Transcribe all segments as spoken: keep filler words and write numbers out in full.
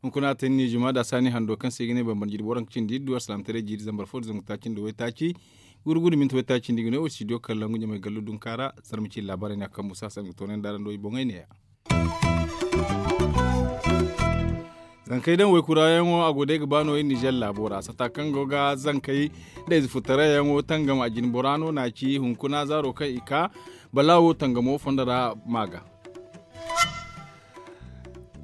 Hunkuna ta ni juma da saani hando kaŋ se i ga ne bambara jiiri boro kaŋ cindi iddu alsalaamataray jiiri zambar fo da zangu taaci nda waytaaci. Gurgudu minti waytaaci nda i ga ne wo studio kaŋ langu ɲamay gallu dunka ra. Zarma ci laabaarey ne a kaŋ musa sangu toonay nda araŋ do i boŋey ne ya. Zankey daŋ waykurayaŋo a go day ga ba no iri nizer laabo ra sata kaŋ go ga zankey da ize futarayaŋo tangam a jine bora no na ci hunkuna zaaro kaŋ i ka balaawo tangamo fondo ra ma ga.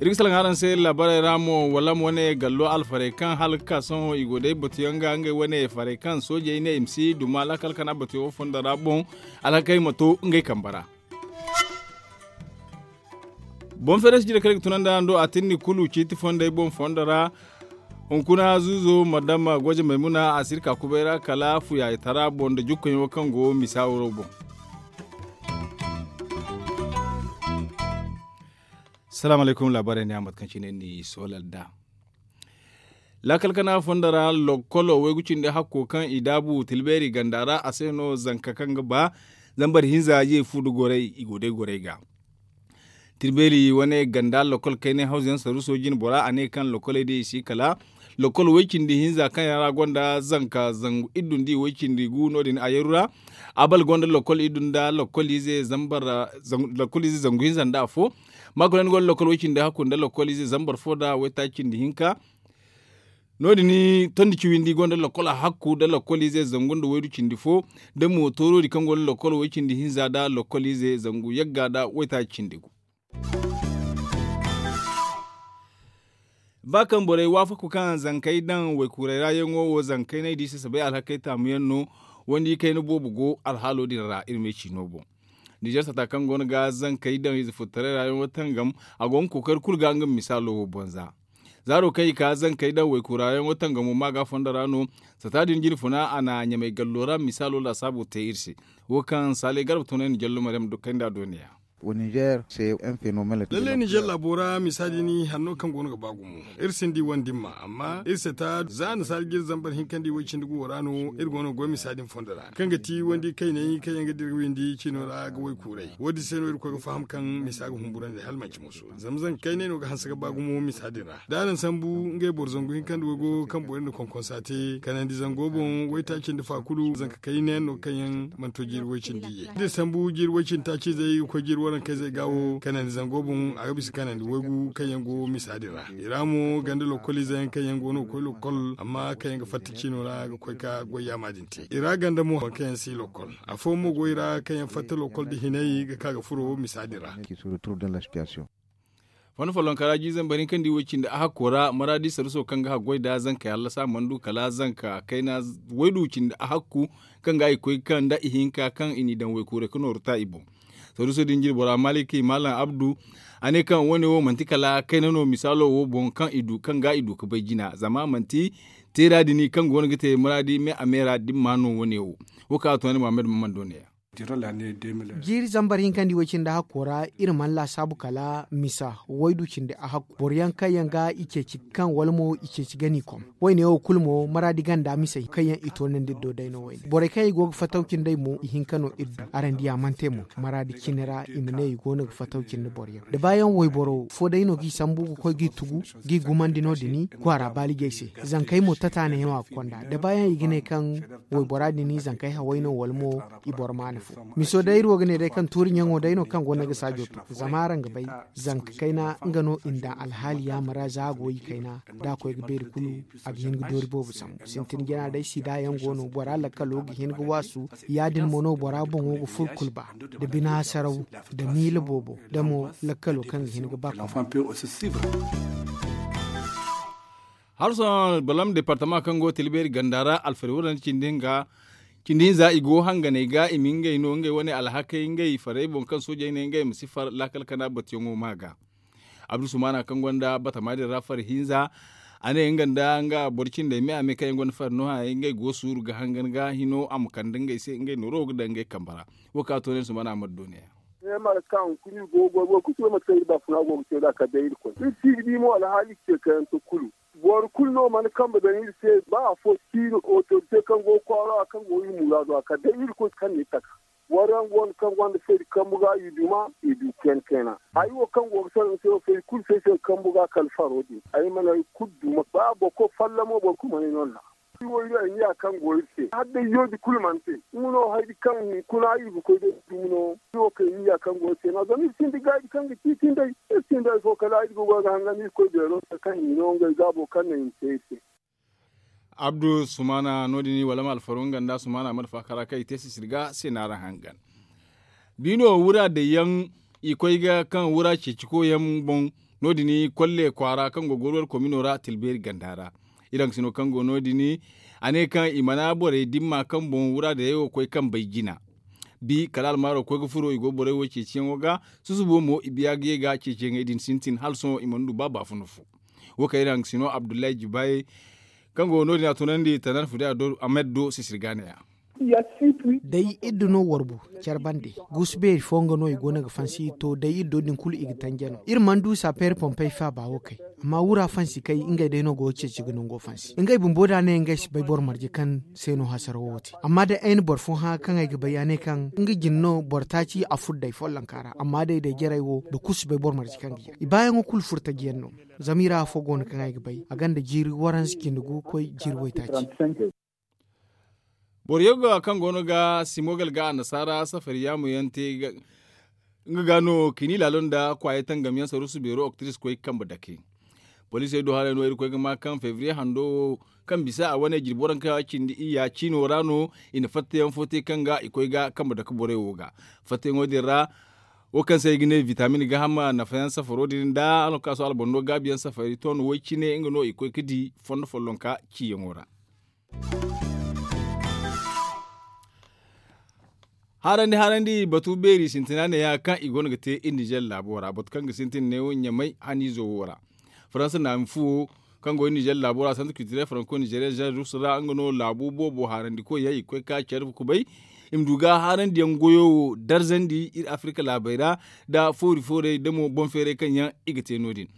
Iri ga salaŋ araŋ se iri laabaarey ra mo wala mo ne gallo alfarey kaŋ hala ga ka sohõ i go day batuyaŋ ga ngey wane farey kaŋ soojey ne i ma si duma laakal kana batuyaŋo fondo ra boŋ alhakey ma to ngey kambe ra. Boŋ feeray si jire kaŋ i ga tunandi araŋ do a tinni kulu ciiti fondey boŋ fondo ra. Hunkuna zuuzo madama goje maymuna a si iri ka kubay ra kala fuyaayatara boŋ nda jukkayaŋo kaŋ go misa wuro boŋ. Salaamu alaykum laabaarey ne a mate kaŋ cine ni soolal nd'a. Laakal kana fondo ra lokkolo waygu cindi hakko kaŋ i daabu tilbeeri ganda ra a se no zanka kaŋ ga ba zambar hinza ye fu nda gorey i go day gorey ga. Tilbeeri wane ganda lokkol kaynay hawzu yaŋ saruuso jine bora a ne kaŋ lokkoley day i si kala lokkol way cindi hinza kaŋ yaŋ ra gonda zanka zangu iddu nda i way cindi gu no- din a yeru ra. Abal gonda lokkol iddu nda lokkol ize zangu hinza nda afo. Maakulaani gonda lokkol way cindi hakku nda lokkol ize zambar fo nda waytaaci cindi hinka. No- din tondi ciwindi gonda lokkol hakku nda lokkol ize zangu nda waydu cindi fo. Da mo tooroodi kaŋ gonda lokkol way cindi hinza nda lokkol ize zangu yagga nda waytaaci cindi gu. Ba kaŋ borey waafaku kaŋ zankey daŋ waykuuray ra yaŋo wo zankey no ay di sasabay alhakey taamu yaŋ no. Wandi kayna boobo go alhaalo din ra iri me ciino boŋ. Nizer sata kaŋ go no ga zankey daŋ ize futtaray ra yaŋo tangam a go nga kookari kulu ga nga misaalo wo boŋ za. Zaaro kaŋ i ka zankey daŋ waykuura yaŋo tangamo ma ga fondo ra no. Sata din jine funa a na ɲamay gallo ra misaalo laasaabu te iri se. Wo kaŋ saalay garba tunay na jallo maryam dukkay nda a do ne ya. Lallay nizer laabo ra misa din hanno kaŋ go no ga ba gumo. Iri sinda i wane dimma amma iri sata za nasaara jiri zambar hinka nda i way cindi guwo ra no iri go no ga goy misa din fondo ra kaŋ ga ti wandi kaynay kaŋ yaŋ ga dira windi ciino ra ga waykuuray wo- din se no iri koy ga faham kaŋ misa ga humburandi hala manci moso. Zama zanka kaynay no ga hanse ga ba gumo misa din ra da araŋ sambu ngey boro zangu hinka nda waygo kaŋ borey na konkonsa te kanandi zango boŋ waytaaci nda fa kulu zanka kayna yaŋ no kaŋ yaŋ mana to jiiri way cindi ye da iri sambu jiiri way cindi taaci izey ga koy jiiri waranka izey ga wo kanandi zango boŋ a ga bisa kanandi waygu kaŋ yaŋ go misa din ra i ra mo ganda lokkol ize yaŋ kaŋ yaŋ go no ga koy lokkol amma kaŋ yaŋ ga fatta ciino ra ga koy ga goy yaama din te i ra ganda mo boro kaŋ yaŋ si lokkol afooyaŋ mo go i ra kaŋ yaŋ fatta lokkol nda hinay ga ka ga furo misa din ra. Fondo follonka ra jiiri zambar hinka nda i way cindi ahakko ra maraadi saruso kaŋ ga haggoy nda zankey hallasa mana du kala zanka kayna waydu cindi ahakku kaŋ ga i koy ga kaŋ nda ihinka kaŋ i n'i daŋ waykuuray ga nooru ta i boŋ. Saruso din jine bora maliki malam abdu a ne kaŋ wane wo manti kala kayna no misaalo wo boŋ kaŋ ga i du ga bay jina zama manti teera din kaŋ go no ga te maraadi me a me ra dimma no wane wo. Wo kaŋ a to ni muhammad maman do ne ya. Jiiri zambar hinka nda i way cindi ahakko ra iri mana laasaabu kala misa waydu cindi ahakku boro yaŋ kaŋ yaŋ ga i ceeci kaŋ wala mo i ceeci ga n'i kom. Wayne wo kulu mo maraadi ganda misey kaŋ yaŋ i toonandi iri do day no wayne borey kaŋ yaŋ i go ga fattaw cindey mo i hinka no iri du araŋ di a mana te mo. Maraadi cine ra i ma ne i go no ga fattaw cindi boro yaŋ da baayaŋ wayboro fo day no g'i sambu ga koy g'i tugu g'i gumandi no- din kwaara baalijey se. Zankey mo tata ne no a ga konda da baayaŋ i ga ne kaŋ waybora din zankey haway no wala mo i boro maana fo. Miso day iri wo ga ne day kaŋ tuuri ɲaŋo day no kaŋ go no ga saajo to zama araŋ ga bay zanka kayna nga no i na daŋ alhaali yaama ra za a go i kayna da a koy ga beeri kulu a ga hin ga doori boobo sambu sintin jina day sida yaŋ go no bora lakkalo ga hin ga waasu. Ya- din mo no bora boŋo ga furo kulu ba da bina saraw da miila boobo da mo lakkalo kaŋ ga hin ga ba kulu. Harsoŋ balam departama kaŋ go ga tilbeeri ganda ra alfari wurandi cindi hinza i go hanganey ga i ma ngey no ngey wane alhakey ngey farey boŋ kaŋ soojey ne ngey ma si far laakal kana batuyaŋo ma ga. Abdu sumana kaŋ gonda batama din ra fari hinza a ne nga nda nga boro cindey me a me kaŋ yaŋ gonda fari no hayey ngey go suuru ga hangan ga hino a ma kande ngey se ngey nooro wo ga daŋ ngey kambe ra. Wo kaŋ a to ne sumana amadu do ne ya. Ay ma ga ka hunkuna iri go ga goy boro kulu si bay mate kaŋ iri baafuna go ga te nd'a kala day irkoy iri si ga di mo alhaali ce kayante kulu. Boro kulu no mana kambe daŋ iri se ba afo si iri otorite kaŋ go ga kwaaro ra kaŋ go ga iri muraado ra kala day irkoy kaŋ na iri taka. Boro yaŋ go no kaŋ gonda feeri kambu ga i duma i du kayna kayna. Hari wo kaŋ go ga salaŋ se wo feeri kulu se se kambu ga kala faro din ay mana hari kulu duma ba boro kulu fallamo boro kulu mana ay no nd'a. Iri wo iri ay niya kaŋ go iri se hala day yooji kulu mana te. Nga no hari kaŋ hunkuna iri ga koy day dumi no. Iri wo kay niya kaŋ go iri se no zama iri sinda gaaji kaŋ ga ciiti nd'ey. Iri sinda hari fo kala iri ga goy ga hangan iri koy beero se kaŋ i no ngey gaabo kaŋ no i na te iri se. Abdu sumana no- din wala ma alfaru nga nda sumana mana faakara kaŋ i te sisiri ga se no araŋ hangan. Biino wura day yaŋ i koy ga kaŋ wura ceeci koy yaŋ boŋ. No- din kolle kwaara kaŋ go ga warwar komino ra tilbeeri ganda ra. Iri haŋ sino kaŋ go no- din a ne kaŋ i mana borey dimma kaŋ boŋ wura day yaŋ wo koy kaŋ bay jina. Bi kala almaaro koy ga furo i go borey wo ceeciyaŋo ga. Susubo mo i biya ga ye ga ceeciyaŋey din sintin hala sohõ i mana du ba baafuna fo. Wo kaŋ iri haŋ sino abdullahi jibaye kaŋ go no- din a tunandi tanan fude a do amed do sisiri ga ne ya. Day iri da no warbu care bande guusu beeri fo nga no i go no ga fansi to day iri do din kulu i ga tanje no iri mana du sapeeri pompey faaba wo kay. Amma wura fansi kay ngey day no go ga ceeci ga nango fansi ngey bumbo da a ne ngey si bay boro marje kaŋ se no hasara wo wo te amma day ay na boro fo hã kaŋ ay ga bay a ne kaŋ nga jine no boro taaci a furo day follonka ra amma day day jarey wo boro kulu si bay boro marje kaŋ ga jare i baayaŋo kulu furo taji yaŋ no. Zama i ra afo go no kaŋ ay ga bay a gonda jiiri waranza cindi gu koy jiiri waytaaci. Boro yagga kaŋ go no ga simogal ga annasaara safari yaamu yaŋ te nga ga no kini laalo nda kwaayey tangam yaŋ saruusu beero oktiris koy kambe dake. Poliisey do haray no iri koy ga ma kaŋ febriye hando wo kaŋ bisa a wane jirbi waranka cindi iyya ciino ra no i na fattayaŋ fo te kaŋ ga i koy ga kambe dake borey wo ga. Fattayaŋo din ra wo kaŋ se i ga ne bitamin gaaham nafayaŋ safaro din nda alkaaso albando gaabiyaŋ safari ton way cine nga no i koy ga di fondo follonka ciyaŋo ra. Harandi harandi batu beeri sintina neeya kaŋ i go no ga te iri nizer laabo ra batu kaŋ ga sintin neewo ɲamay haniizo wo ra. Faransa naami fuwo kaŋ go iri nizer laabo ra santu kiitire faranko nizeeriya zerus ra nga no laabu boobo harandi koy yaŋ i ga koy ga ka care kubay. I ma du ga harandiyaŋ goyo wo darzandi iri afirka laabey ra nda foori foorey nda mo boŋ feeray kaŋ yaŋ i ga te no- din.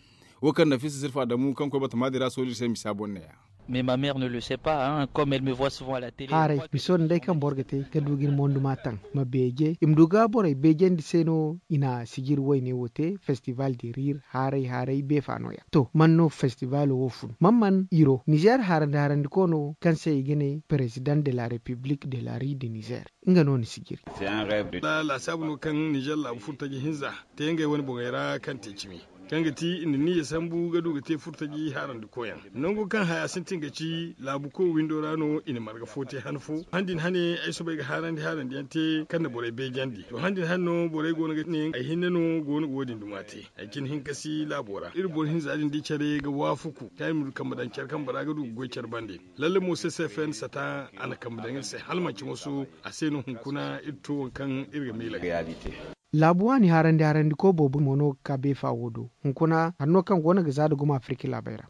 Wo kaŋ nafisa sirfa damu kaŋ koy batama din ra soojey se misa boŋ neeya. Mais ma mère ne le sait pas, hein, comme elle me voit souvent à la télé. Haaray miso din day kaŋ boro ga te ga du ga iri monduma taŋ ma beeje i ma du ga borey beejandi se no i na sijiri wayne wo te festival de rire haaray haaray beefa no- ya. To man no festival wo fun man man iro nizer harandi harandi ko no kaŋ se i ga ne président de la république de la rue de nizer. Nga no ni sijiri. Laasaabu no kaŋ nizer laabu furtaji hinza te ngey wane boŋey ra kaŋ te cimi kaŋ ga ti i na niyya sambu ga du ga te furtaji harandi koyaŋ. Nangu kaŋ haya sintin ga ci laabu koy windo ra no i na marga fo te han fo han din hane ay soobay ga harandi harandi yaŋ te kaŋ na borey beejandi to han din hane no borey go no ga ne ay hinne no go no ga wo- din duma te. Ay cine hinka si laabo ra iri boro hinza din di care ga waafaku kaŋ iri ma du kambe daŋ care kambe ra ga du ga goy care bande. Lalle mo se se fen sata a na kambe daŋ iri se hala manci moso a se no hunkuna iri to waŋ kaŋ iri ga miila ga yaadi te. Laabu waani harandi harandi koy boobo mo no ga ka beefa wo do hunkuna hanno kaŋ go no ga za da gumo afirka laabey ra.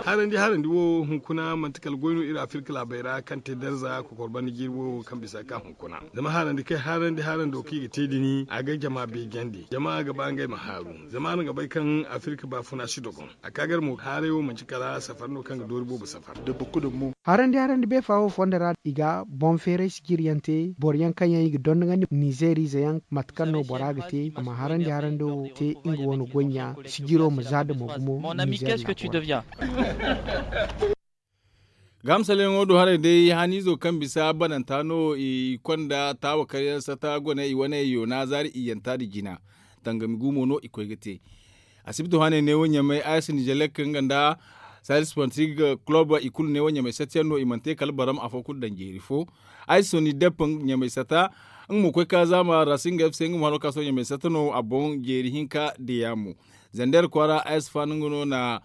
Harandi harandi wo hunkuna manti kala goy no iri afirka laabey ra kaŋ te darza kokor banda jiiri wo kaŋ bisa ga ka hunkuna zama harandi kay harandi harando kaŋ i ga te din a ga jama beejandi jama ga ba ngey ma haaru zama araŋ ga bay kaŋ afirka baafuna si dogon. A ka gar mo haaray wo manci kala safar no kaŋ ga doori boobo safar. Harandi harandi beefa wo fondo ra i ga boŋ feeray sijiri yaŋ te boro yaŋ kaŋ yaŋ i ga dondogandi nizeeriize yaŋ mate kaŋ no bora ga te a ma harandi harando wo te nga wane goy ɲa sijiro ma za da mo gumo. Nizeeriya. Gahamsaleyaŋo do haray day haniizo kaŋ bisa bananta no i konda taawa karyaŋ sata gone i wane yoona zaari iyyanta nda jina. Tangami gumo no i koy ga te. Asibto hane neewo ɲamay ayas nizelek nga nda salis pantig club i kulu neewo ɲamay sata yaŋ no i mana te kala baram afo kulu daŋ jeeri fo. Ayas soni dep ɲamay sata nga mo koy ka zaama rasing fc nga mo hano ka sohõ ɲamay sata no a boŋ jeeri hinka diya mo. Zander kwaara ayas faani nga no na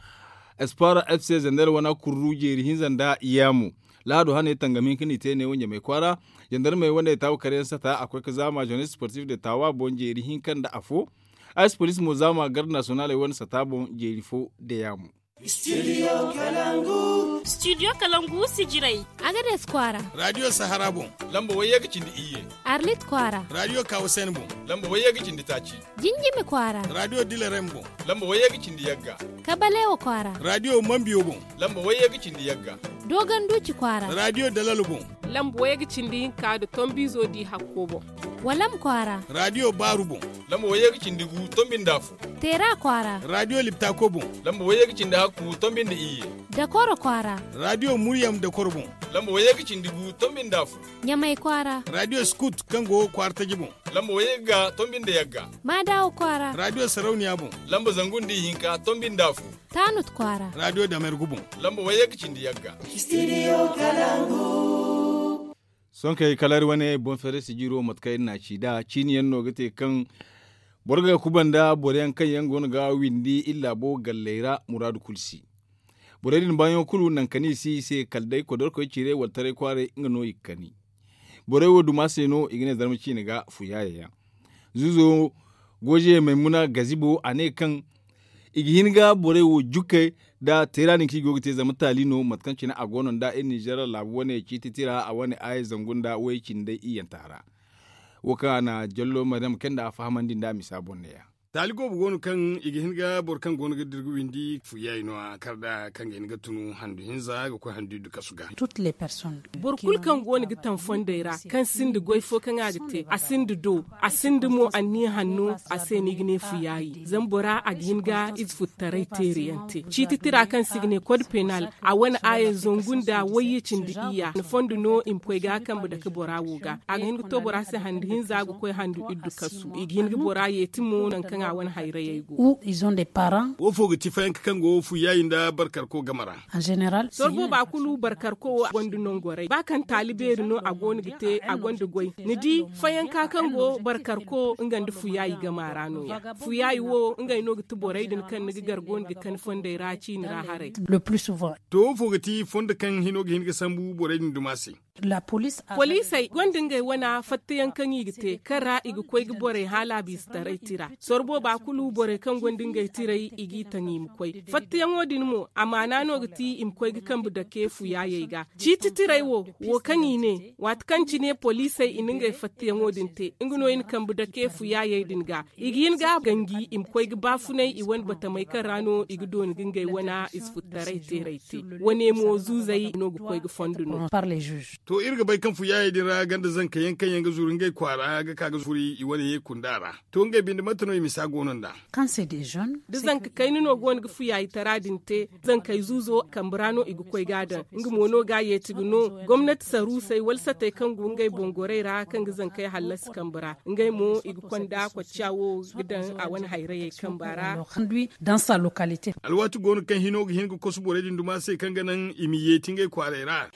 espoir fc zander wana kurru jeeri hinza nda iyaamu. Lahado hane tangam hinka no i te neewo ɲamay kwaara. Zandarmey wane taawa karyaŋ sata a koy ga zaama jeunesse sportif de taawa boŋ jeeri hinka nda afo. Ayas police mo zaama garde nationaley wane sata boŋ jeeri fo de yaamu. Studio kalangu. Studio kalangu sijirey. Agades kwaara. Radio sahara boŋ. Lamba wayye ga cindi iyye. Arlit kwaara. Radio kawasen boŋ. Lamba wayye ga cindi taaci. Jinjimi kwaara. Radio dilarem boŋ. Lamba wayye ga cindi yagga. Kabalewa kwaara. Radio mambiyo boŋ. Lamba wayye ga cindi yagga. Dogon duuci kwaara. Radio dalalo boŋ. Lamba wayye ga cindi hinka da tombizo di hakko boŋ. Walam kwaara. Radio baaru boŋ. Lamba wayye ga cindi gu tombinda fu. Teera kwaara. Radio liptako boŋ. Lamba wayye ga cindi hakku tombinda iyye. Dakoro kwaara. Radio muryam dakoro boŋ. Lamba wayye ga cindi gu tombinda fu. Ɲamay kwaara. Radio skut kaŋ go kwaara taji boŋ. Lamba wayye ga tombinda yagga. Maadawo kwaara. Radio sarauniya boŋ. Lamba zangu nda ihinka tombinda fu. Taanut kwaara. Radio damergu boŋ. Lamba wayye ga cindi yagga. Studio kalangu. Sonkey kala iri wane boŋ feere sijiro mate kaŋ iri na a ci nd'a ciini yaŋ no ga te kaŋ boro ga kuba nda boro yaŋ kaŋ yaŋ go no ga windi iri laabo galley ra muraadu kulu si. Borey din baayaŋo kulu nangu kani i si i se kala day kodorkoy cire wala taray kwaaray nga no i ga kani. Borey wo duma se no i ga ne zarma ciine ga fuyaayey yaŋ. Zuuzo goje maymuna gazibo a ne kaŋ i ga hin ga borey wo jukkey nda teera din kaŋ i go ga te zama taali no mate kaŋ cine a go no nda iri ninzeer laabu wane ciiti tira a wane aaya zangu nda way cindi day iyyanta ra. Wo kaŋ a na jallo maryam kay nda a fahamandi nda a misa boŋ neeya. Taali goobo go no kaŋ i ga hin ga boro kaŋ go no ga dira ga windi fuyaay no a kar da kaŋ ga hin ga tunu handu hinza ga koy handu iddu kasu ga. Boro kulu kaŋ go no ga taŋ fondey ra kaŋ sinda goy fo kaŋ a ga te a sinda do a sinda mo anniya hanno a se no i ga ne fuyaayi zama bora a ga hin ga ize futtaray teeri yaŋ te ciiti tira kaŋ se i ga ne kod penal a wane aaya zangu nda wayye cindi iyya na fondo no i ma koy ga kambe dake bora wo ga a ga hin ga to bora se handu hinza ga koy handu iddu kasu i ga hin ga bora yeeti mo nangu kaŋ a wane hayrayey go. Wo fo ga ti fayanka kaŋ go fuyaayi nda barkarko game ra. Sorbo ba kulu barkarko wo gonda nongoray ba kaŋ taali beeri no a go no ga te a gonda goy ni di fayanka kaŋ go barkarko nga nda fuyaayi gama ra no- ya fuyaayi wo ngey no ga ti borey din kaŋ ni ga gar go no ga kani fondey ra ciini ra haray. To wo fo ga ti fondo kaŋ hino ga hin ga sambu borey din duma se. Poliisey gonda ngey wane fattayaŋ kaŋ i ga te kaŋ ra i ga koy ga borey haala biisatarey tira sorbo ba kulu borey kaŋ gonda ngey tirey i g'i taŋ i ma koy fattayaŋo din mo amaana no ga ti i ma koy ga kambe dake fuyaayey ga ciiti tirey wo wo kaŋ i ne waati kaŋ cine poliisey i na ngey fattayaŋo din te nga no i na kambe dake fuyaayey din ga i ga hin ga ganji i ma koy ga baafunay i wane batamey kaŋ ra no i ga dooni ga ngey wane ize futtaray teerey te wane mo zuuzey no ga koy ga fondo no. To iri ga bay kaŋ fuyaayey din ra ganda zanka yaŋ kaŋ yaŋ ga zuru ngey kwaara ga ka ga furi i wane ye kunda ra. To ngey binde mate no i misa go no nd'a? Da zanka kayna no go no ga fuyaayitara din te zankey zuuzo kambe ra no i ga koy ga a daŋ nga mo no ga a yeeti ga no gomnati saruusey wala satey kaŋ go ngey boŋ gorey ra kaŋ ga zankey hallasi kambe ra ngey mo i ga konda kocca wo ga daŋ a wane hayrayey kamba ra. Alwaati go no kaŋ hino ga hin ga kosu borey din duma se kaŋ ga naŋ i ma yeeti ngey kwaarey ra.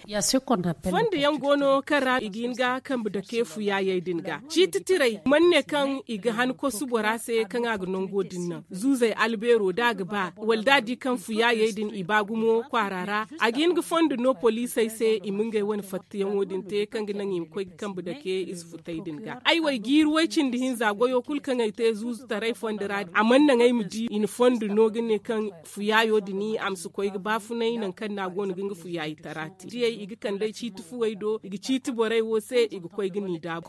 Fondo yaŋ go no kaŋ ra i ga hin ga kambe dake fuyaayey din ga ciiti tirey mana ne kaŋ i ga han kosu bora se kaŋ a ga nango din naŋ zuuzey albeero da a ga ba wala da a di kaŋ fuyaayey din i ba gumo kwaara ra a ga hin ga fondo no poliisey se i ma ngey wane fattayaŋo din te kaŋ ga naŋ i ma koy ga kambe dake ize futey din ga ay wo ay jiiri way cindi hinza goyo kulu kaŋ ay te zuuzutaray fondo ra a mana naŋ ay ma di i na fondo no ga ne kaŋ fuyaayo din a ma si koy ga baafunay nangu kaŋ no a go no ga nga fuyaayitara te diyey i ga kand'ey ciiti fuwey do i ga ciiti borey wo se i ga koy ga ni daabu.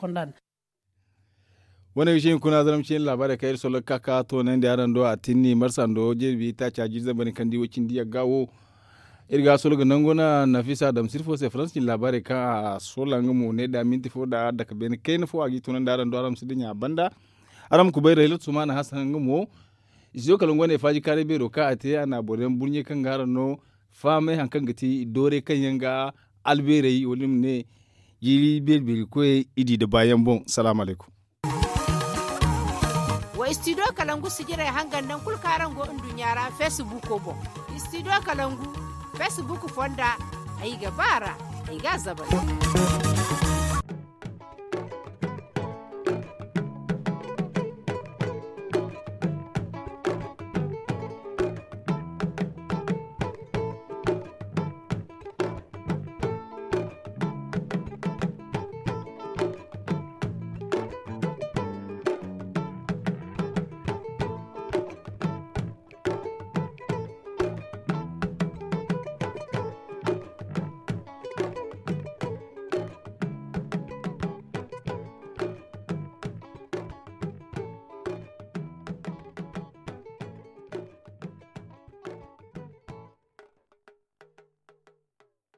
Wane ga cine kuna zaram cine laabaarey kaŋ iri sollo ga ka ka toonandi araŋ do a tinni marsando jirbi taaca jiiri zambar ni kaŋ di wo cindi yagga wo. Iri ga a sollo ga nango na nafisa adamsir fo se faransa cine laabaarey kaŋ a sola nga mo ne da minti fo da dake beene kayna fo a g'i toonandi araŋ do araŋ ma si dinya a banda. Araŋ ma kubay raylat sumana hasan nga mo. Isiyo kala nga wane faaji kaaray beero kaŋ a te a na boro yaŋ burɲe kaŋ ga araŋ no fahamay hari kaŋ ga ti doorey kaŋ yaŋ ga albeerey wala ni ma ne jiiri beeri-beeri koyey i di nda baayaŋ boŋ. Salaamu alaykum. Wa istidiyo kalangu sijirey hangan naŋ kulu kaŋ araŋ go nduɲɲa ra feesibuuko boŋ. Istidiyo kalangu feesibuuku fonda ay ga ba a ra ay ga a zabari.